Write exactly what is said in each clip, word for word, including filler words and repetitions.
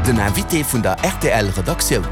Den Invité vun der R T L Redaktioun.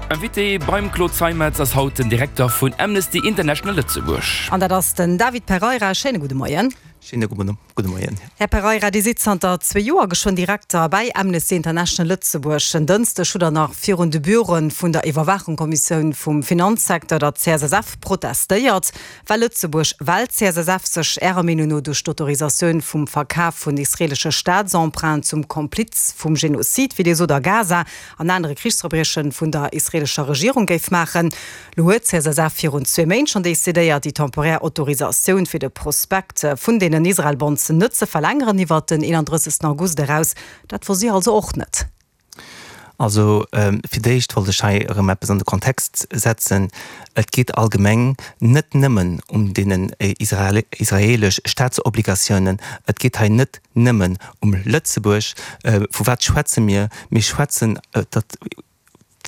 Invité beim Claude Zeimetz ass haut den Direkter vun Amnesty International Lëtzebuerg. An dat ass den David Pereira. Schéine gudde Moien. Schéine gudde Moien. Här Pereira, Dir sidd zanter zwee Joer geschwënn Direkter bei Amnesty International Lëtzebuerg. En Dënschdeg hutt Der nach virun de Büroe vun der Iwwerwaachungskommissioun vum Finanzsecteur, der C S S F, protestéiert, well Lëtzebuerg, well d'C S S F sech Ärer Meenung no duerch d'Autorisatioun vum Verkaf vun israeelesche Staatsemprunten zum Kompliz vum Genozid, wéi Dir sot, a Gaza an anere Krichsverbrieche vun der israeelescher Regierung géif maachen. Lo huet d'C S S F virun zwee Méint schonn decidéiert, déi temporär Autorisatioun fir de Prospekt vun deenen Israel-Bonds net ze verlängeren iwwer den eenandrëssegsten August eraus. Dat wosst Dir also och net? Also ähm, fir d'éischt wollt ech hei erëm eppes an de Kontext setzen. Et geet allgemeng net nëmmen um deenen äh, Israel israeelesch Staatsobligatiounen. Et geet hei net nëmmen um Lëtzebuerg. Äh, vu wat schwätze mir? Mir schwätzen äh, dat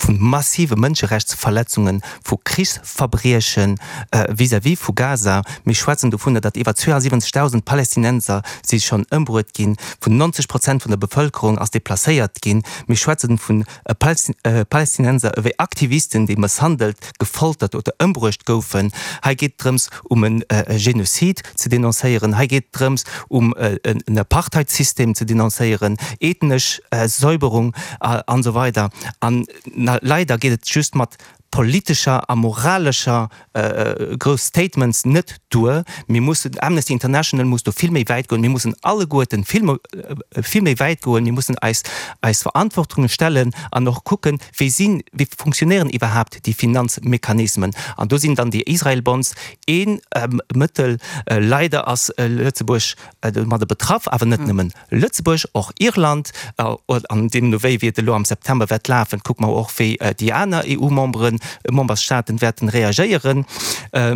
vu massive Mënscherechtsverletzungen, vu Krichsverbriechen äh, vis-à-vis vu Gaza. Mir schwätzen dovun, datt iwwer zwouansiwwenzegdausend Palästinenser si schonn ëmbruecht ginn, vun neunzeg Prozent vun der Bevëlkerung ass deplacéiert ginn. Mir schwätzen vun äh, Palästin äh, Palästinenser ewéi Aktivisten, déi mësshandelt, gefoltert oder ëmbruecht goufen. Hei geet drëms um en äh, Genozid ze denoncéieren. Hei geet drëms um äh, en Apartheidsystem ze denoncéieren, ethnesch äh, Säuberung äh, an esou weider. An na, leider geet et just mat politescher a moralescher äh, grouss Statements net duer. Mir mussen, Amnesty International muss do vill méi wäit goen. Mir mussen alleguerten vill, äh, vill méi wäit goen. Mir mussen eis eis Verantwortunge stellen an och kucken, wéi sinn, wéi funktionéieren iwwerhaapt déi Finanzmechanismen. An do sinn dann déi Israel Bonds een ähm, Mëttel. äh, leider ass äh, Lëtzebuerg äh, mat betraff, awer net mhm. nëmmen Lëtzebuerg, och Irland äh, an deemno wéi et elo am September wäert lafen, kucke mer och, wéi äh, déi aner E U-Memberen, Memberstaaten wäerten reagéieren. Äh,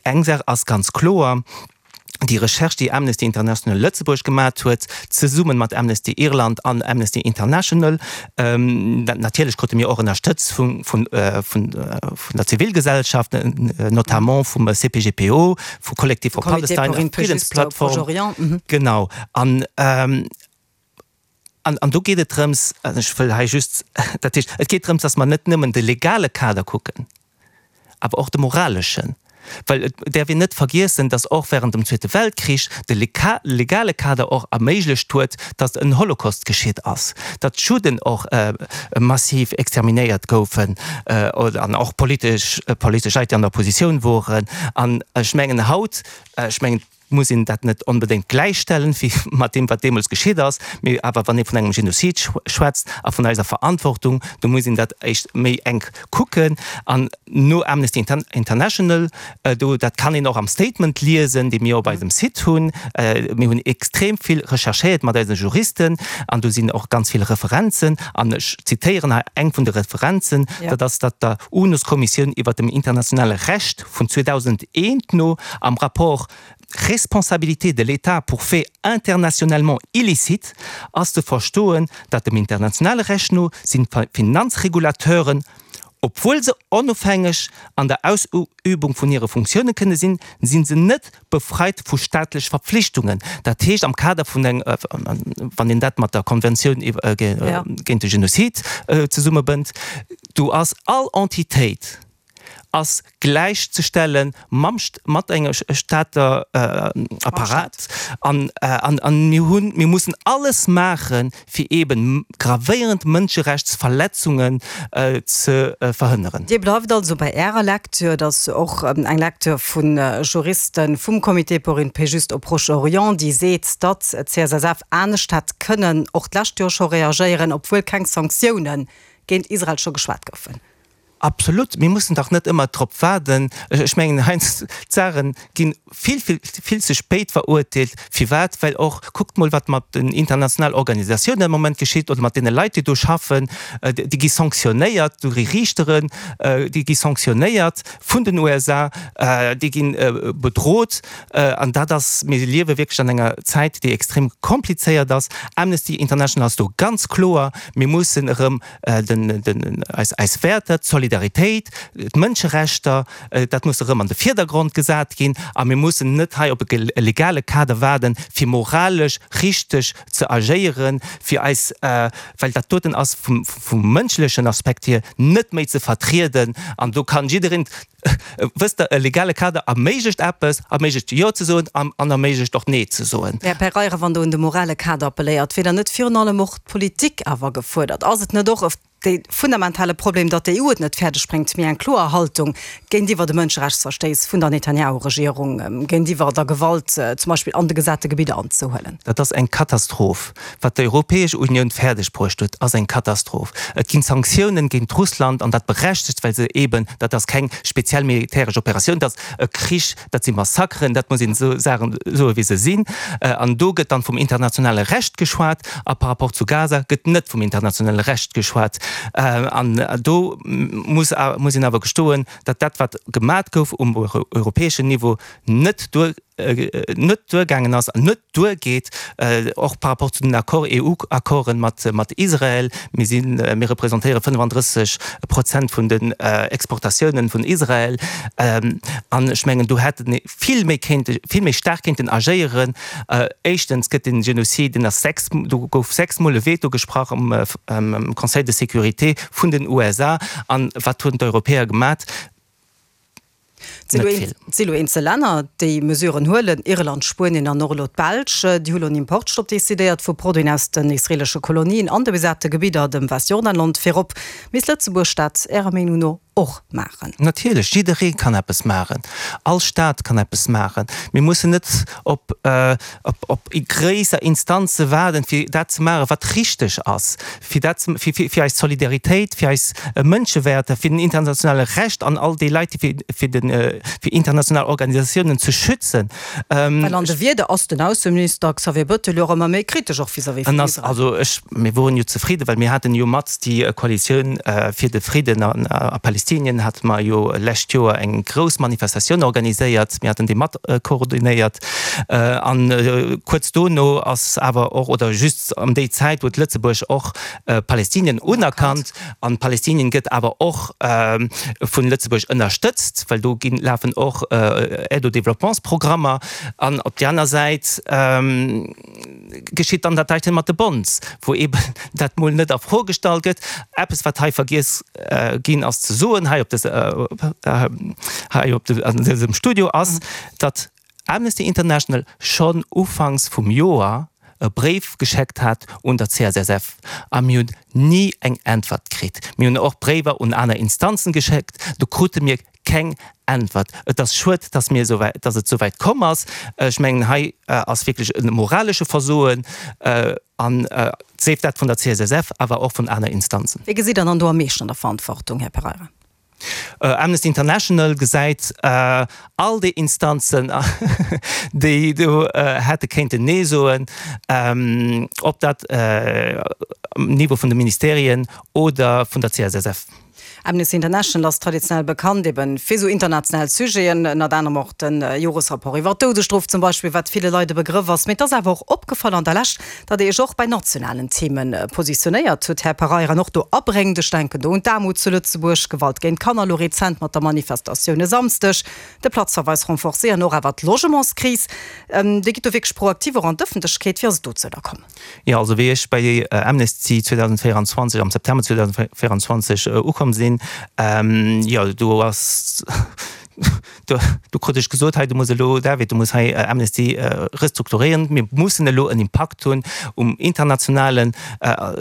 eng Saach ass ganz kloer: Déi Recherche, déi Amnesty International Lëtzebuerg gemaach huet, zesumme mat Amnesty Irland an Amnesty International, ähm, natierlech krute mir och Ënnerstëtzung vun, vun, äh, vun, äh, vun der Zivilgesellschaft, äh, notamment vum C P G P O, vum Collective for Palestine, Friddensplattform. Mhm. Genau. An ähm, an, an do geet et drëms, ech wëll hei just, dat heescht, et geet drëms, datt mer net nëmmen de legale Kader kucken, awer och de moraleschen. Well et däerf een net vergiessen, datt och wärend dem Zweete Weltkrich de legale Kader och erméiglecht huet, datt en Holocaust geschitt ass, datt d'Judden och äh, massiv exterminéiert goufen äh, oder an och politesch äh, politesch Leit, déi an der Oppositioun woren. An ech mengen haut, ech mengen, muss een dat net onbedéngt gläichstellen wéi mat deem, wat deemools geschitt ass, mee awer wann ee vun engem Genozid schwätzt a vun eiser Verantwortung, do muss een dat echt méi enk kucken. An no Amnesty International äh, do, dat kann een och am Statement liesen, dee mir op eisem Site hunn. Äh, mir hunn extrem vill recherchéiert mat eise Juristen an do sinn och ganz vill Referenzen an ech zitéieren hei eng vun de Referenzen, Ja. dat ass dat der UNO-Kommissioun iwwer dem internationale Recht vun zweedausendeent no am Rapport Responsabilité de l'État pour faits internationalement illicites ass ze verstoen, datt dem internationale Recht no sinn Finanzregulateuren, obwuel se onofhängeg an der Ausübung vun hire Funktioune kënne sinn, sinn se net befreit vu staatlech Verpflichtungen. Dat heescht am Kader vun eng, äh, wann een dat mat der Konventioun äh, Ja. géint de Genozid äh, zesummebënnt, do ass all Entitéit ass gläichzestellen mam mat engem Staat äh, Apparat an, äh, an, an mir hunn, mir mussen alles maachen, fir eben gravéierend Mënscherechtsverletzungen äh, ze äh, verhënneren. Dir bleift also bei Ärer Lecture, dat ass och ähm, eng Lecture vun äh, Juristen vum Comité pour une paix juste au Proche-Orient, déi seet, datt d'C S S F anescht hätt kënnen och d'lescht Joer scho reagéieren, obwuel keng Sanktioune géint Israel scho geschwat goufen. Absolut, mir mussen dach net ëmmer drop waarden. Ech mengen, heiansdo d'Saache ginn vill, vill, vill ze spéit verurteelt. Firwat? Well och, kuckt mol, wat mat den internationalen Organisatiounen am Moment geschitt oder mat deene Leit, déi do schaffen, äh, déi gi sanktionéiert duerch Riichteren, äh, déi gi sanktionéiert vun den U S A, äh, déi ginn bedrot. An dat ass, mir liewe wierklech an enger Zäit, déi extrem komplizéiert ass. Amnesty International ass do ganz kloer, mir mussen erëm den, den, eis, eis Wäerter, d'Solidaritéit Solidaritéit, d'Mënscherechter, dat muss erëm an de Virdergrond gesat ginn a mir mussen net hei op e legale Kader waarden, fir moralesch richteg ze agéieren, fir eis, well dat doten ass vum mënschlechen Aspekt hier net méi ze vertrieden an do kann jiddereen, wësst Der, e legale Kader erméiglecht eppes, erméiglecht Jo ze soen an erméiglecht och Nee ze soen. Här Pereira, wann Der un de morale Kader appelléiert, wier dann net virun allem och d'Politik awer gefuerdert? Ass et net och e de fundamentale Problem, datt d'EU et net fäerdeg bréngt, méi eng kloer Haltung géintiwwer de Mënscherechtsverstéiss vun der Netanjahu-Regierung, géintiwwer der Gewalt zum Beispill an de besate Gebidder anzehuelen? Dat ass eng Katastroph. Wat d'Europäesch Unioun fäerdeg bruecht huet, ass eng Katastroph. Et ginn Sanktiounen géint Russland, an dat berechtegt, well se eeben, dat ass keng speziell militäresch Operatioun, dat ass e Krich, dat si Massakeren, dat muss een esou Saachen soen, wéi se sinn. An do gëtt dann vum internationale Recht geschwat, a par rapport zu Gaza gëtt net vum internationale Recht geschwat. An do muss muss een awer gestoen, datt dat, wat gemat gouf um europäeschen Niveau, net duer net duergaangen ass an net duergeet, och par rapport zu den Accord, EU-Accorden mat mat Israel. Mir sinn, mir representéiere fënnefandrësseg Prozent vun den Exportatiounen vun Israel. An ech mengen, do hätt ee vill méi kéinte, vill méi staark kéinten agéieren. Éischtens gëtt den Genozid, deen ass sechs, do gouf sechsmol e Veto gesprach am Conseil de sécurité vun den U S A. An wat hunn d'Europäer gemat? Et si lo eenzel Länner, déi Mesuren huelen, Irland, Spuenien an och elo d'Belsch. Déi hu lo en Importstopp decidéiert vu Produiten aus den israeelesche Kolonien an de besate Gebidder, dem Westjordanland virop. Misst Lëtzebuerg dat Ärer Meenung no och maachen? Natierlech, jidderee kann eppes maachen. All Staat kann eppes maachen. Mir mussen net op op gréisser Instanze waarden, fir dat ze maachen, wat richteg ass, fir dat ze, fir fir eis Solidaritéit, fir eis Mënschewäerter, fir den internationale Recht an all déi Leit, déi fir fir den fir international Organisatiounen ze schützen. Well an de Wierder ass den Ausseminister Xavier Bettel jo och ëmmer méi kritesch och vis-à-vis vun Israel. Also ech, mir woren jo zefridden, well mir haten jo mat déi Koalitioun fir de Fridden a Palestinien hate mer jo lescht Joer eng grouss Manifestatioun organiséiert. Mir haten déi mat koordinéiert. An kuerz dono ass awer och, oder just ëm déi Zäit huet Lëtzebuerg och Palestinien unerkannt. An Palestinien gëtt awer och vun Lëtzebuerg ënnerstëtzt, well do ginn, lafen och Aide au développements-Programmer. An op déi aner Säit geschitt dann dat heiten mat de Bonds, wou eeben dat mol net a Fro gestallt gëtt. Eppes, wat hei vergiess ginn ass ze soen hei op dës, hei op an dësem Studio, ass, datt Amnesty International schonn ufanks vum Joer e Bréif gescheckt hat un der C S S F a mir hunn ni eng Äntwert kritt. Mir hunn och Bréiwer un aner Instanzen geschéckt, do krute mir keng Äntwert. Et ass schued, dass mir esou wäit, dass et esou wäit komm ass. Ech mengen, hei ass wierklech e moralesche Versoen, an sief dat vun der C S S F, awer och vun aner Instanzen. Wee gesitt Der dann do am meeschten an der Verantwortung, Här Pereira? Amnesty International gesäit all déi Instanzen, déi do hätte kéinten Nee soen, ob dat um Niveau vun de Ministerien oder vun der C S S F. Amnesty International ass traditionell bekannt eben fir sou international Sujeten, ënnert anerem och de Joresrapport iwwer d'Doudesstrof zum Beispill, wat ville Leit e Begrëff ass. Mee et ass awer och opgefall an der Lescht, datt Dir Iech och bei nationalen Theme positionéiert hutt, Här Pereira, an och do abréngt. Ech denken do un d'Aarmut zu Lëtzebuerg, Gewalt géint Kanner, elo rezent mat der Manifestatioun e Samsdeg, de Platzverweis renforcé an och awer d'Logementskris. Dir gitt do wierklech proaktiv och an d'Ëffentlechkeet. Wéi ass et dozou da komm? Jo, also wéi ech bei Amnesty zweedausendvéieranzwanzeg, am September zweedausendvéieranzwanzeg ukomm sinn, jo, do ass, do, do krut ech gesot, hei, du muss elo, David, du muss hei Amnesty restrukturéieren, mir mussen elo en Impakt hunn um internationalen,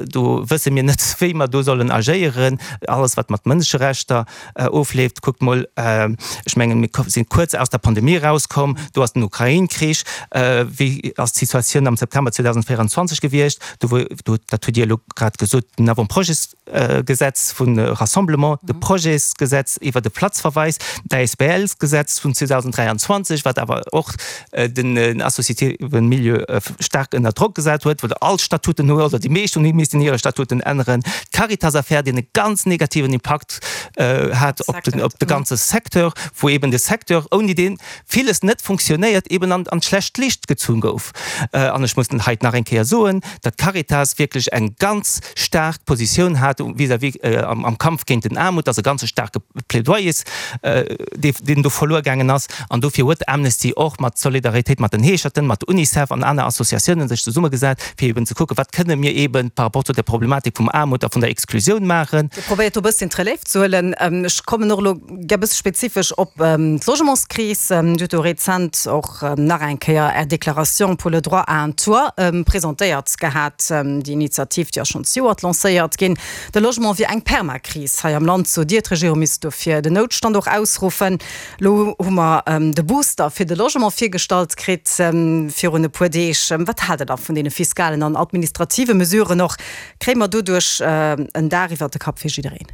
do wësse mir net, wéi mer do sollen agéieren, alles wat mat Mënscherechter ofleeft. Kuckt mol, ech mengen, mir si kuerz aus der Pandemie erauskomm, do ass den Ukrain-Krich. Wéi ass d'Situatioun am September zweedausendvéieranzwanzeg gewiescht? Do wou, do, dat hutt Dir elo grad gesot, den Avant-projetsgesetz vun Rassemblement, de Projetsgesetz iwwer de Platzverweis, d'A S B L A B L-Gesetz vun zweedausenddräianzwanzeg, wat awer och den associative Milieu staark ënner Drock gesat huet, wou all Statuten hu oder déi meescht hunn missten hire Statuten änneren, d'Caritas-Affär, deen e ganz negativen Impakt hat op den, op de ganze Secteur, wou eben de Secteur, ouni dee villes net funktionéiert, eben an, an d'schlecht Licht gezunn gouf. An ech muss hei nach eng Kéier soen, datt d'Caritas wierklech eng ganz staark Positioun hat vis-à-vis am Kampf géint den Aarmut, dass e ganze staarke Plädoyers, deen do verluer gaangen ass. An dofir huet Amnesty och mat Solidaritéit mat den Heescherten, mat UNICEF an aner Associatiounen sech zesummegesat, fir eben ze kucken, wat kënne mir eben par rapport zu der Problematik vum Aarmut a vun der Exklusioun maachen. Dir probéiert do e bësschen d'Relève ze huelen. Ech kommen och elo gär e bësse spezifesch op d'Logementskris. Dir hutt do rezent och nach eng Kéier Är Déclaration pour le droit à un toit presentéiert gehat. Déi Initiativ, déi ass schonn zejoert lancéiert ginn. De Logement wier eng Permakris hei am Land, sot Dir. D'Regierung misst dofir den Noutstand och ausruffen. Elo hu mer de Booster fir de Logement virgestallt kritt virun e puer Deeg. Wat haalt Der da vun deene fiskalen an administrative Mesuren och? Kréie mer doduerch en Daach iwwert de Kapp fir jiddereen?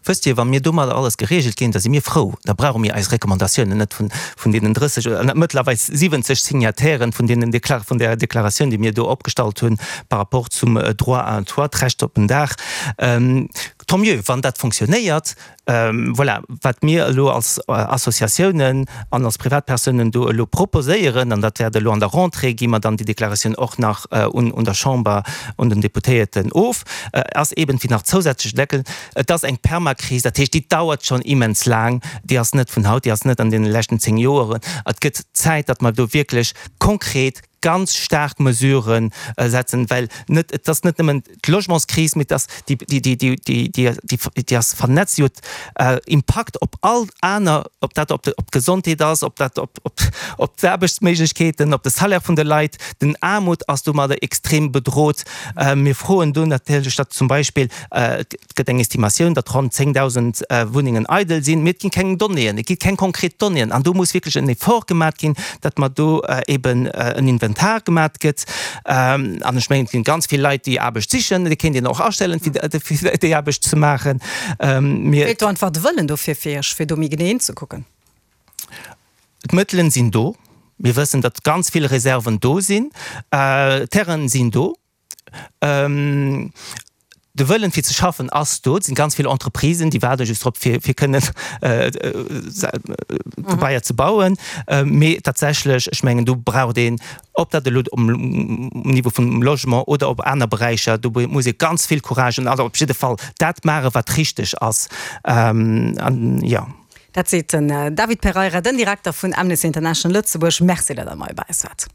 Wësst Dir, wa mir domadder alles geregelt ginn, da si mir frou. Da brauche mir eis Recommandatiounen net vun vun deenen drësseg oder mëttlerweil siwwenzeg Signatairen vun deenen Dekla vun där Deklaratioun, déi mir do opgestallt hunn par rapport zum Droit à un toit, d'Recht op en Daach. Tant mieux, wann dat fonctionnéiert. Voilà, wat mir elo als Associatiounen an als Privatpersounen do elo proposéieren, an dat wäert elo an der Rentrée, gi mer dann déi Deklaratioun och nach un un der Chamber, un den Deputéierten of, ass eeben, fir nach zousätzlech Deckel, et ass eng Permakris, dat heescht, déi dauert schonn immens laang, déi ass net vun haut, déi ass net an deene leschten zéng Joeren. Et gëtt Zäit, datt mer do wierklech konkret ganz staark Mesuren setzen, well net, et ass net nëmmen d'Logementskris, mee et ass déi, déi, déi, déi, déi, déi, déi ass vernetzt, déi huet Impakt op all aner, ob dat op d'Gesondheet ass, ob dat op, op, op d'Aarbechtsméiglechkeeten, op de Salaire vun de Leit. Den Aarmut ass domadder extrem bedrot. Mir froen do natierlech, datt zum Beispill, et gëtt eng Estimatioun, datt ronn zéngdausend Wunnengen eidel sinn, mee et ginn keng Donnéeën, et gi keng konkret Donnéeën an do muss wierklech en Effort gemat ginn, datt mer do eben en Inventar gemat gëtt. An ech mengen, et ginn ganz vill Leit, déi Aarbecht sichen, déi kéint een och astellen, fir déi Aarbecht ze maachen. Mir. Feelt do einfach de Wëllen dofir fir Iech, fir do méi genee hinzekucken? D'Mëttelen sinn do. Mir wëssen, datt ganz vill Reserven do sinn. D'Terrainen sinn do. De Wëllen, fir ze schaffen, ass do. Et sinn ganz vill Entreprisen, déi waarde just drop, fir kënnen Gebaier ze bauen. Mee tatsächlech, ech mengen, do braucht een, ob dat elo um Niveau vum Logement oder op aner Beräicher, do muss ee ganz vill Courage hunn, also op jidde Fall dat maachen, wat richteg ass. An jo. Dat seet den David Pereira, den Direkter vun Amnesty International Lëtzebuerg. Merci, datt Der hei bei eis waart.